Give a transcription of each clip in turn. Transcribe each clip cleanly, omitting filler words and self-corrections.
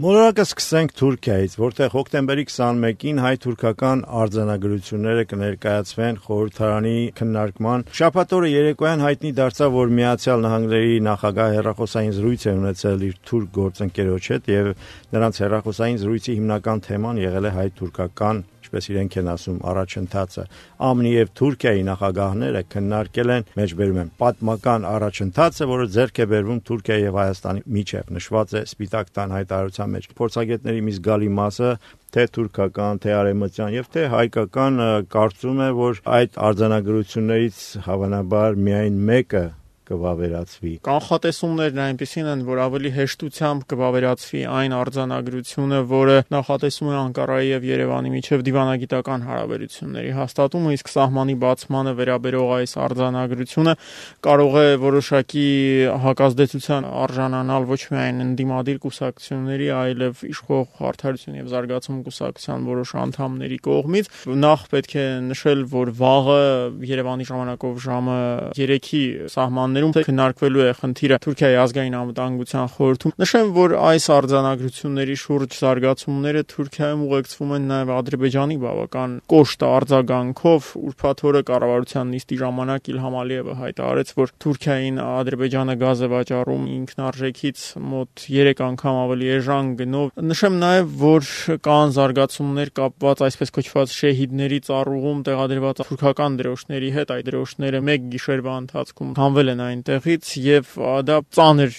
Մոլորակը սկսենք Թուրքիայից, որտեղ հոկտեմբերի 21-ին հայ-թուրքական արձանագրությունները կներկայացվեն խորհրդարանի քննարկման։ Շաբաթ օրը երեկոյան հայտնի դարձավ, որ Միացյալ Նահանգների նախագահը հեռախոսային զրույց է ունեցել իր թուրք գործընկերոջ հետ եւ նրանց հեռախոսային զրույցի հիմնական թեման եղել է հայ-թուրքական, ինչպես իրենք են ասում, առաջընթացը։ ԱՄՆ-ի եւ Թուրքիայի նախագահները քննարկել են, մեջբերում են, պատմական առաջընթացը, որը ձեռք է բերվում Թուրքիայի եւ Հայաստանի միջև, նշված է Սպիտակ տան հայտարարության մեջ։ Փորձագետների մի զգալի մասը թե թուրքական, թե արևմտյան եւ թե հայկական կարծում է, որ այդ արձանագրություններից հավանաբար միայն մեկը կվավերացվի։ Կանխատեսումներն այնպիսին են, որ ավելի հեշտությամբ կվավերացվի այն արձանագրությունը, որը նախատեսում է Անկարայի եւ Երևանի միջև դիվանագիտական հարաբերությունների հաստատումը, իսկ սահմանի բացմանը վերաբերող այս արձանագրությունը կարող է որոշակի հակազդեցության արժանանալ ոչ միայն ընդդիմադիր կուսակցությունների, այլև իշխող Արդարություն եւ Զարգացում կուսակցության որոշ անդամների կողմից։ Նախ պետք է նշել, որ վաղը Երևանի ժամանակով ժամը 3-ի սահմաններում քննարկվելու է խնդիրը Թուրքիայի ազգային անվտանգության խորհրդում։ Նշեմ, որ այս արձանագրությունների շուրջ զարգացումները Թուրքիայում ուղեկցվում են նաև Ադրբեջանի բավական կոշտ արձագանքով։ Ուրբաթ օրը կառավարության նիստի ժամանակ Իլհամ Ալիևը հայտարարեց, որ Թուրքիային Ադրբեջանը գազ է վաճառում ինքնարժեքից մոտ 3 անգամ ավելի էժան գնով։ Նշեմ նաև, որ կան զարգացումներ կապված այսպես կոչված շեհիդների ծառուղում տեղադրված թուրքական դրոշների հետ։ Այդ դրոշները մեկ գիշերվա ընթացքում հանվել են այնտեղից եւ դա ծանր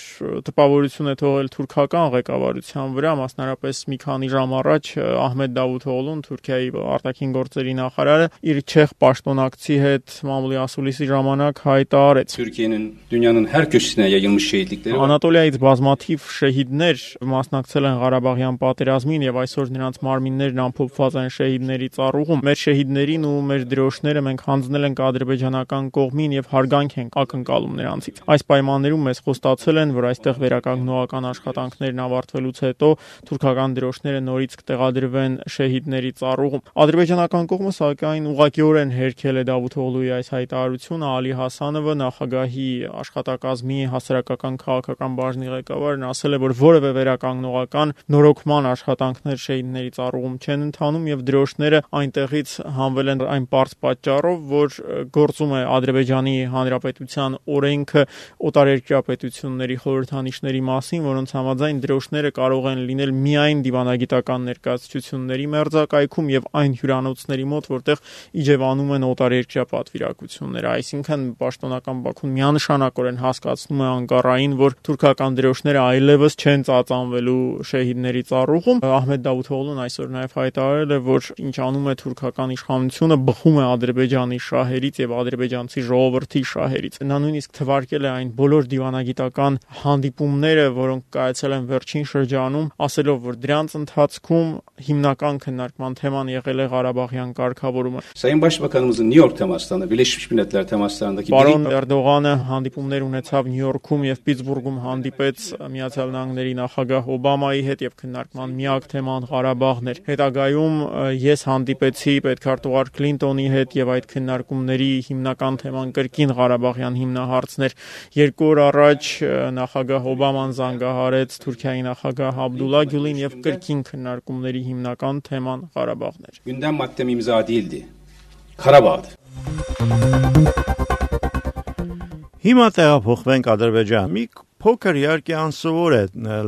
տպավորություն է թողել թուրքական ղեկավարության վրա, մասնարապես մի քանի ժամ առաջ Ահմեդ Դավութօղլուն, Թուրքիայի արտաքին գործերի նախարարը, իր չեխ պաշտոնակցի հետ մամուլի ասուլիսի ժամանակ հայտարարեց. Türkiye'nin dünyanın her köşesine yayılmış şehitlikleri var. Անատոլիայից բազմաթիվ շեհիդներ մասնակցել են Ղարաբաղյան պատերազմին եւ այսօր նրանց մարմիններն ամփոփված են շեհիդների ծառուղում։ Մեր շեհիդներին ու մեր դրոշները մենք հանձնել ենք ադրբեջանական կողմին եւ հարգանք ենք ակնկալում նրանցից։ Այս պայմաններում մեզ խոստացել են, որ այստեղ վերականգնողական աշխատանքներն ավարտվելուց հետո թուրքական դրոշները նորից կտեղադրվեն շեհիդների ծառուղում։ Ադրբեջանական կողմը սակայն ուղղակիորեն հերքել է Դավութօղլուի այս հայտարարությունը։ Ալի Հասանովը, նախագահի աշխատակազմի հասարակական քաղաքական բաժնի ղեկավարն, ասել է, որ որևէ վերականգնողական նորոգման աշխատանքներ շեհիդների ծառուղում չեն ընթանում եւ դրոշները այնտեղից հանվել են այն պարզ պատճառով, որ գործում է Ադրբեջանի Հանրապետության օրենքը օտարերկրյա պետությունների խորհրդանիշների մասին, որոնց համաձայն դրոշները կարող են լինել միայն դիվանագիտական ներկայացությունների մերձակայքում եւ այն հյուրանոցների մոտ, որտեղ իջևանում են օտարերկրյա պատվիրակությունները։ Այսինքն պաշտոնական Բաքուն միանշանակորեն հասկացնում է Անկարային, որ թուրքական դրոշները այլևս չեն ծածանվելու շեհիդների ծառուղում։ Ահմեդ Դավութօղլուն այսօր նաեւ հայտարարել է, որ ինչ անում է թուրքական իշխանությունը, բխում է Ադրբեջանի շահերից եւ ադրբեջանցի ժողովրդի շահերից։ Նա նույնիսկ թվարկել է այն բոլոր դիվանագիտական հանդիպումները, որոնք կայացել են վերջին շրջանում, ասելով, որ դրանց ընթացքում հիմնական քննարկման թեման եղել է Ղարաբաղյան կարգավորումը։ Sayın Başbakanımızın New York temaslarında, Birleşmiş Milletler temaslarındaki Պարոն Էրդողանը հանդիպումներ ունեցավ Նյու Յորքում եւ Պիտսբուրգում հանդիպեց Միացյալ Նահանգների նախագահ Օբամայի հետ եւ քննարկման միակ թեման Ղարաբաղն էր։ Հետագայում ես հանդիպեցի պետքարտուղար Քլինտոնի հետ եւ այդ քննարկումների հիմնական թեման կրկին Ղարաբաղյան հիմնահարցն էր։ 2 օր առաջ նախագահ Օբաման զանգահարեց Թուրքիայի նախագահ Աբդուլլա Գյուլին եւ կրկին քննարկումների հիմնական թեման Ղարաբաղն էր։ gündem maddem imza değildi. Karabağ'dı. Հիմա տեղափոխվենք Ադրբեջան։ Մի փոքր իհարկե անսովոր է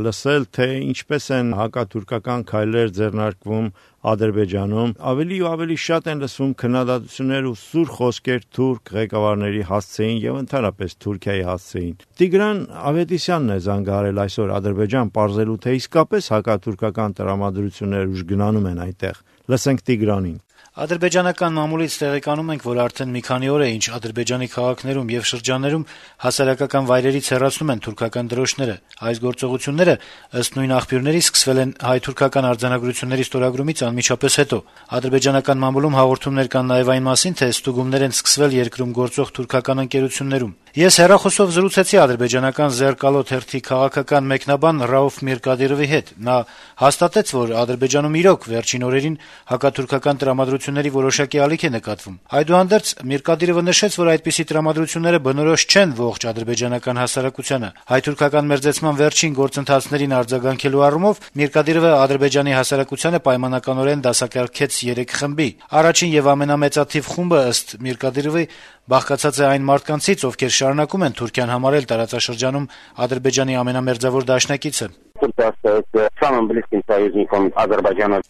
լսել, թե ինչպես են հակաթուրքական քայլեր ձեռնարկվում Ադրբեջանում։ Ավելի ու ավելի շատ են լսվում քննադատություններ ու սուր խոսքեր թուրք ղեկավարների հասցեին եւ ընդհանրապես Թուրքիայի հասցեին։ Տիգրան Ավետիսյանն է զանգահարել այսօր Ադրբեջան, պարզելու թե իսկապես հակաթուրքական տրամադրություններ ուժ գնանում են այնտեղ։ Լսենք Տիգրանին։ Ադրբեջանական մամուլից տեղեկանում ենք, որ արդեն մի քանի օր է, ինչ Ադրբեջանի քաղաքներում եւ շրջաններում հասարակական վայրերից հեռացնում են թուրքական դրոշները։ Այս գործողությունները, ըստ նույն աղբյուրների, սկսվել են հայ-թուրքական արձանագրությունների ստորագրումից անմիջապես հետո։ Ադրբեջանական մամուլում հաղորդումներ կան նաեւ այն մասին, թե ստուգումներ են սկսվել երկրում գործող թուրքական ընկերություններում։ Ես հեռախոսով զրուցեցի ադրբեջանական «Զերկալո» թերթի քաղաքական մեկնաբան Ռաուֆ Միրկադիրովի հետ: Նա հաստատեց, որ Ադրբեջանում իրոք վերջին օրերին հակաթուրքական տրամադրությունների որոշակի ալիք է նկատվում: Այդուհանդերձ Միրկադիրովը նշեց, որ այդպիսի տրամադրությունները բնորոշ չեն ողջ ադրբեջանական հասարակությանը: Հայ-թուրքական մերձեցման վերջին գործընթացներին արձագանքելու առումով Միրկադիրովը Ադրբեջանի հասարակությանը պայմանականորեն դասակարգեց 3 խմբի: Առաջին եւ ամենամեծաթիվ խումբը, ըստ Միրկադիրովի, բաղկացած է այն մարդկանցից, ովքեր շարունակում են Թուրքիան համարել տարածաշրջանում Ադրբեջանի ամենամերձավոր դաշնակիցը: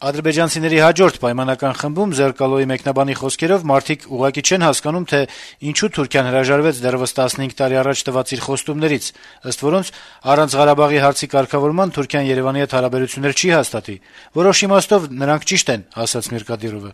Ադրբեջանցիների հաջորդ պայմանական խմբում, «Զերկալոյի» մեկնաբանի խոսքերով, մարդիկ ուղղակի չեն հասկանում, թե ինչու Թուրքիան հրաժարվեց դեռեւս 15 տարի առաջ տված իր խոստումներից, ըստ որոնց առանց Ղարաբաղի հարցի կարգավորման Թուրքիան Երեւանի հետ հարաբերություններ չի հաստատի: Որոշ իմաստով նրանք ճիշտ են, ասաց Միրկադիրովը: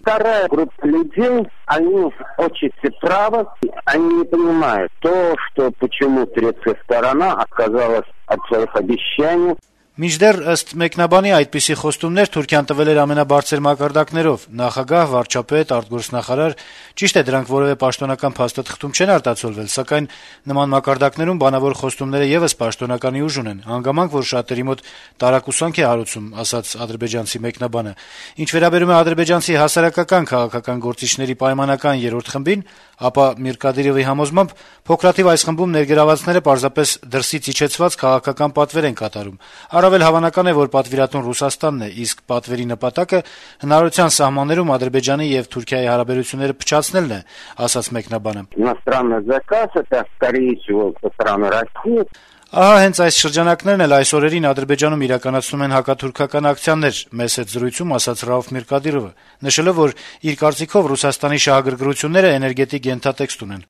Они не понимают то, что почему турецкая сторона отказалась от своих обещаний. Մինչդեռ, ըստ մեկնաբանի, այդպիսի խոստումներ Թուրքիան տվել էր ամենաբարձր մակարդակներով՝ նախագահ, վարչապետ, արտգործնախարար: Ճիշտ է, դրանք որեւէ պաշտոնական փաստաթղթում չեն արտացոլվել, սակայն նման մակարդակներում բանավոր խոստումները եւս պաշտոնականի ուժ ունեն, հանգամանք, որ շատերի մոտ տարակուսանք է հարուցում, ասաց ադրբեջանցի մեկնաբանը: Ինչ վերաբերում է ադրբեջանցի հասարակական քաղաքական գործիչների պայմանական 3-րդ խմբին, ապա Միրկադիրովի համոզմամբ փոքրաթիվ այս խմբում ներգրավվածները պարզապես դրսից իջեցված քաղաքական պատվեր են կատարում: Առավել հավանական է, որ պատվիրատուն Ռուսաստանն է, իսկ պատվերի նպատակը հնարավորության սահմաններում Ադրբեջանի եւ Թուրքիայի հարաբերությունները փչացնելն է, ասաց մեկնաբանը: Ահա հենց այս շրջանակներն էլ այս օրերին Ադրբեջանում իրականացնում են հակաթուրքական ակցիաներ, մեզ հետ զրույցում ասաց Ռաուֆ Միրկադիրովը, նշելով, որ իր կարծիքով Ռուսաստանի շահագրգռությունները էներգետիկ ենթատեքստ ունեն: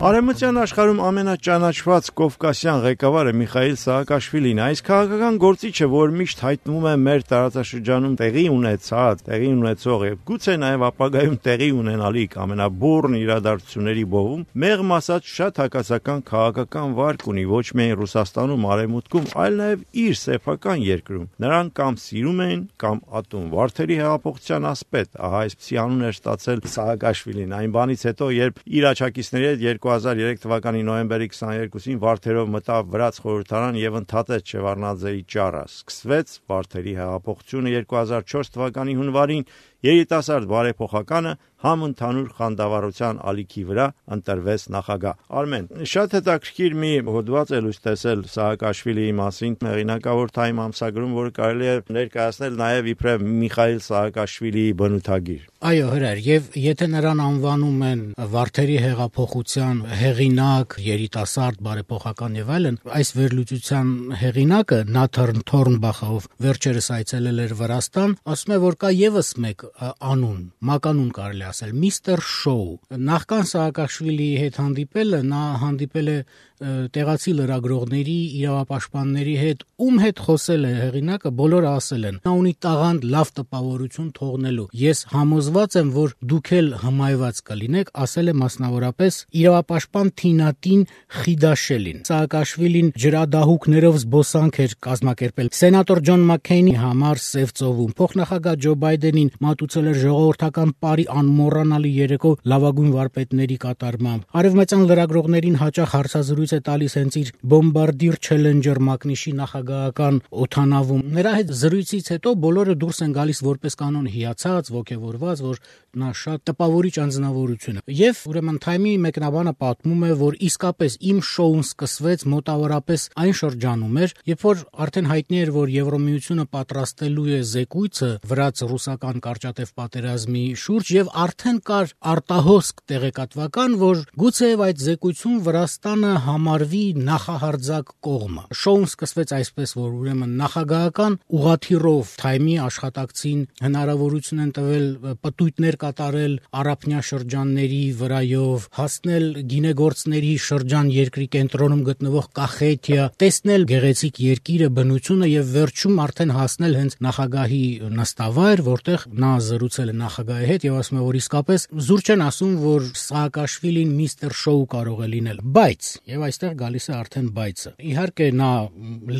Արևմտյան աշխարհում ամենաճանաչված կովկասյան ղեկավարը Միխայիլ Սաակաշվիլին, այս քաղաքական գործիչը, որ միշտ հայտնվում է մեր տարածաշրջանում տեղի ունեցած, տեղի ունեցող եւ գուցե նաեւ ապագայում տեղի ունենալիք ամենաբուռն իրադարձությունների բովում, մեղմ ասած շատ հակասական քաղաքական վարկ ունի ոչ միայն Ռուսաստանում, Արևմուտքում, այլ նաեւ իր սեփական երկրում: Նրան կամ սիրում են, կամ ատում: Վարդերի հեղափոխության ասպետ, ահա այսպիսի անուն էր ստացել Սաակաշվիլին այն բանից հետո, երբ իր աջակիցների հետ 2003 թվականի նոյեմբերի 22-ին Վարդերով մտավ Վրաց խորհրդարան եւ ընդհատեց Շևարդնաձեի ճառը: Սկսվեց Վարդերի հեղափոխությունը 2004 թվականի հունվարին, երիտասարդ բարեփոխականը համընդհանուր խանդավառության ալիքի վրա ընտրվեց նախագահ: Արմեն, շատ հետաքրքիր մի հոդված է լույս տեսել Սաակաշվիլիի մասին հեղինակավոր Time ամսագրում, որը կարելի է ներկայացնել նաեւ իբրև Միխայիլ Սաակաշվիլիի բնութագիր: Այո, Հրայր, եւ եթե նրան անվանում են Վարդերի հեղափոխության հեղինակ, երիտասարդ բարեփոխական եւ այլն, այս վերլուծության հեղինակը Նաթան Թորնբախը, ով վերջերս այցելել էր Վրաստան, ասում է, որ կա եւս մեկ անուն, մականուն կարելի ասել, Միստր Շոու: Նախքան Սաակաշվիլիի հետ հանդիպելը նա հանդիպել է տեղացի լրագրողների, իրավապաշտպանների հետ, ում հետ խոսել է հեղինակը, բոլորը ասել են. նա ունի տաղանդ լավ տպավորություն թողնելու: Ես համոզված եմ, որ դուք էլ հմայված կլինեք, ասել է մասնավորապես իրավապաշտպան Թինատին Խիդաշելին: Սաակաշվիլին ջրադահուկներով զբոսանք էր կազմակերպել սենատոր Ջոն Մաքքեյնի համար Սև ծովում, փոխնախագահ Ջո Բայդենին մատուցել էր ժողովրդական պարի անմոռանալի երեկո լավագույն վարպետների կատարմամբ: Արևմտյան լրագրողներին հաճախ հարցազրույց է տալիս հենց իր Bombardier Challenger մակնիշի նախագահական օդանավում: Նրա հետ զրույցից հետո բոլորը դուրս են գալիս որպես կանոն հիացած, ոգևորված, որ նա շատ տպավորիչ անձնավորություն է: Եվ ուրեմն Time-ի մեկնաբանը պատմում է, որ իսկապես իմ շոուն սկսվեց մոտավորապես այն շրջանում էր, երբ որ արդեն հայտնի էր, որ Եվրոմիությունը պատրաստելու է զեկույցը վրաց-ռուսական կարճատև պատերազմի շուրջ եւ արդեն կար արտահոսք տեղեկատվական, որ գուցեև այդ զեկույցում Վրաստանը համարվի նախահարձակ կողմը: Շոուն սկսվեց այսպես, որ ուրեմն նախագահական ուղղաթիռով Time-ի աշխատակցին հնարավորություն են տվել պտույտներ կատարել առափնյա շրջանների վրայով, հասնել գինեգործների շրջան երկրի կենտրոնում գտնվող Կախետիա, տեսնել գեղեցիկ երկիրը, բնությունը եւ վերջում արդեն հասնել հենց նախագահի նստավայր, որտեղ նա զրուցել է նախագահի հետ եւ ասում է, որ իսկապես զուր չեն ասում, որ Սաակաշվիլին միստր շոու կարող է լինել, բայց եւ այստեղ գալիս է արդեն բայցը։ Իհարկե նա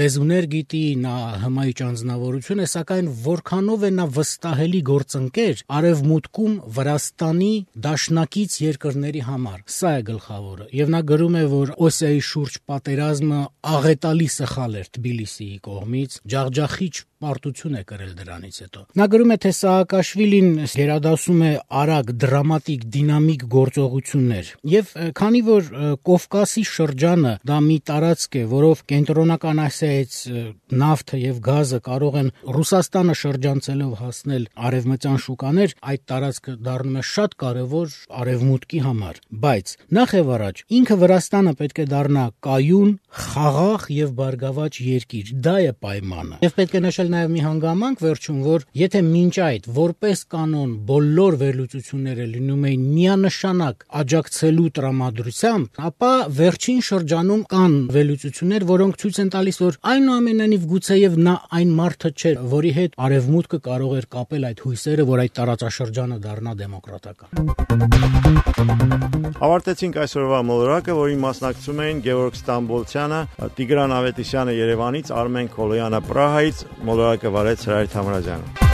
լեզուներ գիտի, նա հմայիչ անձնավորություն է, սակայն որքանով է նա վստահելի գործընկեր Արևմուտքում Վրաստանի դաշնակից երկրների համար։ Սա է գլխավորը։ Եվ նա գրում է, որ Օսիայի շուրջ պատերազմը աղետալի սխալ էր Թբիլիսիի կողմից, ջախջախիչ պարտություն է կրել դրանից հետո։ Նա գրում է, թե Սաակաշվիլին գերադասում է արագ, դրամատիկ, դինամիկ գործողություններ։ Եվ քանի որ Կովկասի շրջանը դա մի տարածք է, որով կենտրոնական Ասիայից նավթը եւ գազը կարող են Ռուսաստանը շրջանցելով հասնել արևմտյան շուկաներ, այդ տարածքը դառնում է շատ կարևոր արևմուտքի համար։ Բայց նախ եւ առաջ ինքը Վրաստանը պետք է դառնա կայուն, խաղաղ եւ բարգավաճ երկիր։ Դա է պայմանը։ Եվ պետք է նշել նաեւ մի հանգամանք վերջում, որ եթե մինչ այդ որպես կանոն բոլոր վերլուծությունները լինում էին միանշանակ աջակցելու տրամադրությամբ, ապա վերջին շրջանում կան վերլուծություններ, որոնք ցույց են տալիս, որ այնուամենայնիվ գուցեև նա այն մարդը չէր, որի հետ Արևմուտքը կարող էր կապել այդ հույսերը, որ այդ տարածաշրջանը դառնա դեմոկրատական։ Ավարտեցինք այսօրվա մոլորակը, որին մասնակցում էին Գևորգ Ստամբոլցյանը, Տիգրան Ավետիսյանը Երևանից, Արմեն Քոլոյանը Պրահայից, մոլորակը վարեց Հրայր Թամրազյանը։